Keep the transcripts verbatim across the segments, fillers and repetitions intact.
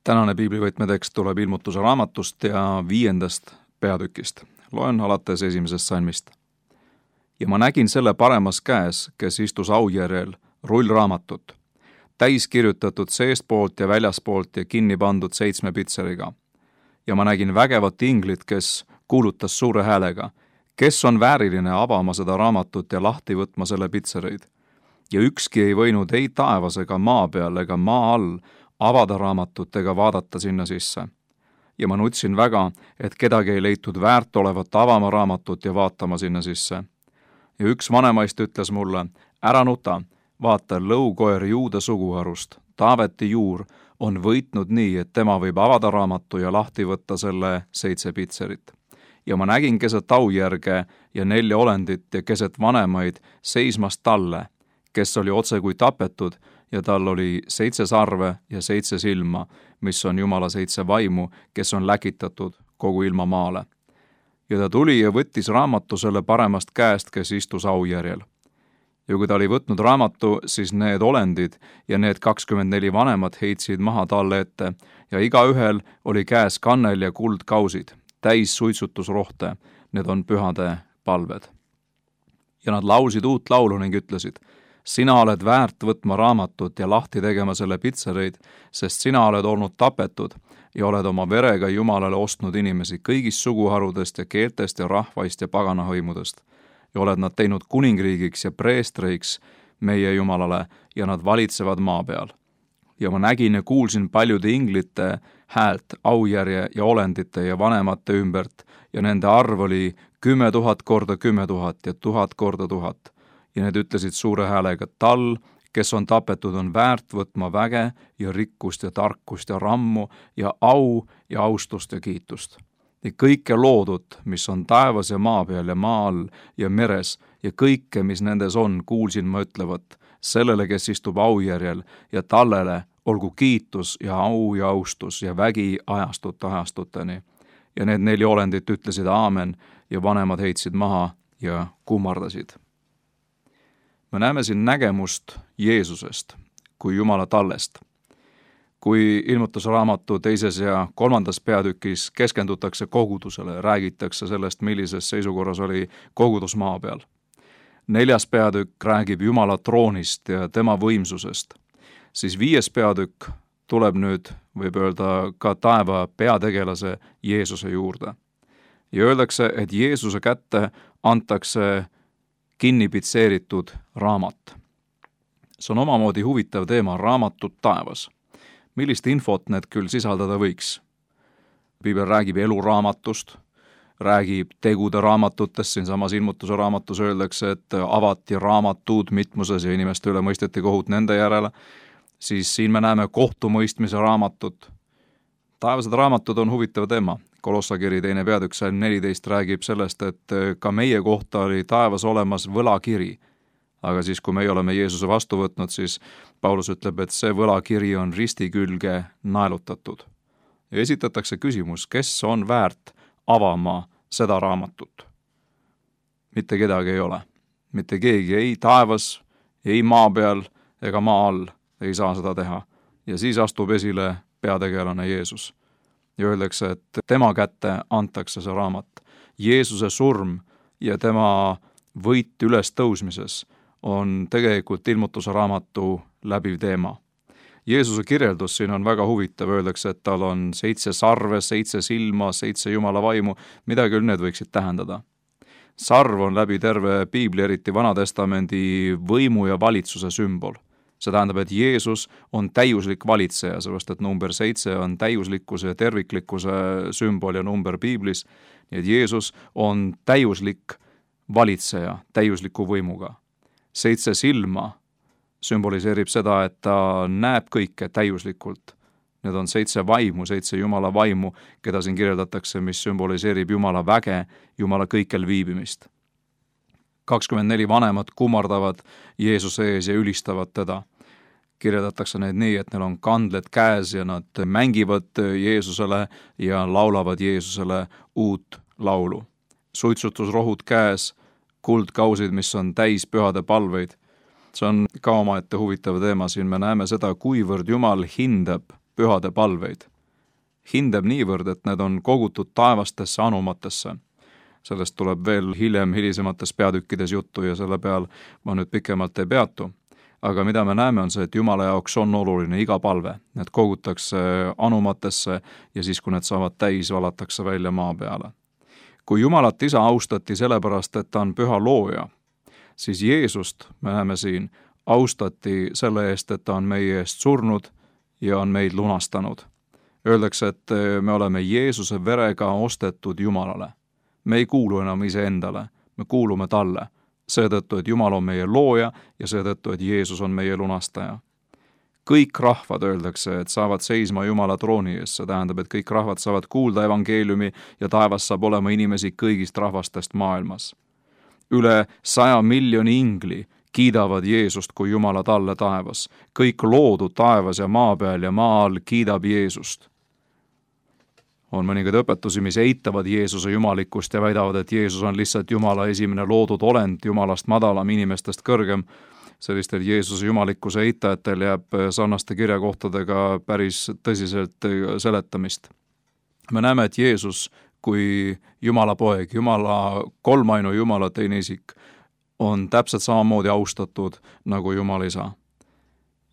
Tänane piiblivõtmetekst tuleb ilmutuse raamatust ja viiendast peatükist. Loen alates esimesest salmist. Ja ma nägin selle paremas käes, kes istus aujärjel, rullraamatut, täis kirjutatud seestpoolt ja väljaspoolt ja kinni pandud seitsme pitseriga. Ja ma nägin vägevat inglit, kes kuulutas suure häälega, kes on vääriline avama seda raamatut ja lahti võtma selle pitsereid. Ja ükski ei võinud ei taevas ega maa peal ega maa all avada raamatut ega vaadata sinna sisse. Ja ma nutsin väga, et kedagi ei leitud väärt olevat avama raamatut ja vaatama sinna sisse. Ja üks vanemaist ütles mulle, ära nuta, vaata lõukoer Juuda suguharust, Taaveti juur, on võitnud nii, et tema võib avada raamatu ja lahti võtta selle seitse pitserit. Ja ma nägin keset aujärge ja nelja olendit ja keset vanemaid seismas talle, kes oli otse kui tapetud, ja tal oli seitse sarve ja seitse silma, mis on Jumala seitse vaimu, kes on läkitatud kogu ilma maale. Ja ta tuli ja võttis raamatu selle paremast käest, kes istus aujärjel. Ja kui ta oli võtnud raamatu, siis need olendid ja need kakskümmend neli vanemat heitsid maha talle ette ja igaühel oli käes kannel ja kuldkausid, täis suitsutusrohte, need on pühade palved. Ja nad laulsid uut laulu ning ütlesid, sina oled väärt võtma raamatut ja lahti tegema selle pitsereid, sest sina oled olnud tapetud ja oled oma verega Jumalale ostnud inimesi kõigist suguharudest ja keeltest ja rahvaist ja paganahõimudest. Ja oled nad teinud kuningriigiks ja preestreiks meie Jumalale ja nad valitsevad maa peal. Ja ma nägin ja kuulsin paljude inglite häält, aujärje ja olendite ja vanemate ümbert ja nende arv oli kümme tuhat korda kümme tuhat ja tuhat korda tuhat. Ja need ütlesid suure häälega, tal, kes on tapetud, on väärt võtma väge ja rikkust ja tarkust ja rammu ja au ja austust ja kiitust. Ja kõike loodut, mis on taevas ja maa peal ja maa all ja meres ja kõike, mis nendes on, kuulsin ma ütlevat, sellele, kes istub aujärjel ja tallele olgu kiitus ja au ja austus ja vägi ajastut ajastuteni. Ja need neli olendit ütlesid aamen ja vanemad heitsid maha ja kummardasid. Me näeme siin nägemust Jeesusest kui Jumala tallest. Kui ilmutusraamatu teises ja kolmandas peatükis keskendutakse kogudusele, räägitakse sellest, millises seisukorras oli kogudus maa peal. Neljas peatükk räägib Jumala troonist ja tema võimsusest. Siis viies peatükk tuleb nüüd, võib öelda, ka taeva peategelase Jeesuse juurde. Ja öeldakse, et Jeesuse kätte antakse kinni pitseeritud raamat. See on omamoodi huvitav teema, raamatud taevas. Millist infot need küll sisaldada võiks? Piibel räägib eluraamatust, räägib tegude raamatutest, siinsamas ilmutuse raamatus öeldakse, et avati raamatud mitmuses ja inimeste üle mõisteti kohut nende järele. Siis siin me näeme kohtumõistmise raamatut. Taevased raamatud on huvitav teema. Kolossakiri teine peatükk salm neliteist räägib sellest, et ka meie kohta oli taevas olemas võlakiri. Aga siis, kui meie oleme Jeesuse vastu võtnud, siis Paulus ütleb, et see võlakiri on risti külge naelutatud. Ja esitatakse küsimus, kes on väärt avama seda raamatut? Mitte kedagi ei ole. Mitte keegi ei taevas, ei maa peal ega maa all ei saa seda teha. Ja siis astub esile peategelane Jeesus. Ja öeldakse, et tema kätte antakse see raamat. Jeesuse surm ja tema võit üles tõusmises on tegelikult ilmutuse raamatu läbiv teema. Jeesuse kirjeldus siin on väga huvitav, öeldakse, et tal on seitse sarve, seitse silma, seitse Jumala vaimu, mida küll need võiksid tähendada. Sarv on läbi terve piibli, eriti Vanatestamendi võimu ja valitsuse sümbol. See tähendab, et Jeesus on täiuslik valitseja, sellepärast et number seitse on täiuslikkuse ja terviklikkuse sümbol ja number piiblis. Nii et Jeesus on täiuslik valitseja, täiusliku võimuga. Seitse silma sümboliseerib seda, et ta näeb kõike täiuslikult. Need on seitse vaimu, seitse Jumala vaimu, keda siin kirjeldatakse, mis sümboliseerib Jumala väge, Jumala kõikjal viibimist. kakskümmend neli vanemat kummardavad Jeesuse ees ja ülistavad teda. Kirjeldatakse neid nii, et neil on kandled käes ja nad mängivad Jeesusele ja laulavad Jeesusele uut laulu. Suitsutusrohud käes, kuldkausid, mis on täis pühade palveid. See on ka omaette huvitav teema, siin me näeme seda, kuivõrd Jumal hindab pühade palveid. hindab niivõrd, et need on kogutud taevastesse anumatesse. Sellest tuleb veel hiljem hilisemates peatükkides juttu ja selle peal ma nüüd pikemalt ei peatu. Aga mida me näeme on see, et Jumala jaoks on oluline iga palve. Need kogutakse anumatesse ja siis, kui need saavad täis, valatakse välja maa peale. Kui Jumalat isa austati sellepärast, et ta on püha looja, siis Jeesust, me näeme siin, austati selle eest, et ta on meie eest surnud ja on meid lunastanud. Öeldakse, et me oleme Jeesuse verega ostetud Jumalale. Me ei kuulu enam iseendale, me kuulume talle. Seetõttu, et Jumal on meie looja ja seetõttu, et Jeesus on meie lunastaja. Kõik rahvad, öeldakse, et saavad seisma Jumala trooni ees. See tähendab, et kõik rahvad saavad kuulda evangeeliumi ja taevas saab olema inimesi kõigist rahvastest maailmas. Üle saja miljoni ingli kiidavad Jeesust kui Jumala talle taevas. Kõik loodud taevas ja maa peal ja maa all kiidab Jeesust. On mõningaid õpetusi, mis eitavad Jeesuse jumalikkust ja väidavad, et Jeesus on lihtsalt Jumala esimene loodud olend, Jumalast madalam, inimestest kõrgem. Sellistel Jeesuse jumalikkuse eitajatel jääb sarnaste kirjakohtadega päris tõsiselt seletamist. Me näeme, et Jeesus kui Jumala poeg, Jumala kolmainu Jumala teine isik, on täpselt samamoodi austatud nagu Jumal isa.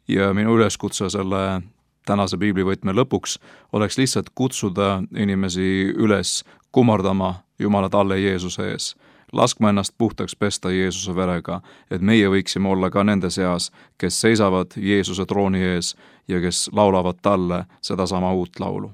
Ja minu üleskutse selle tänase piiblivõtme lõpuks oleks lihtsalt kutsuda inimesi üles kummardama Jumala talle Jeesuse ees. Laskma ennast puhtaks pesta Jeesuse verega, et meie võiksime olla ka nende seas, kes seisavad Jeesuse trooni ees ja kes laulavad talle sedasama uut laulu.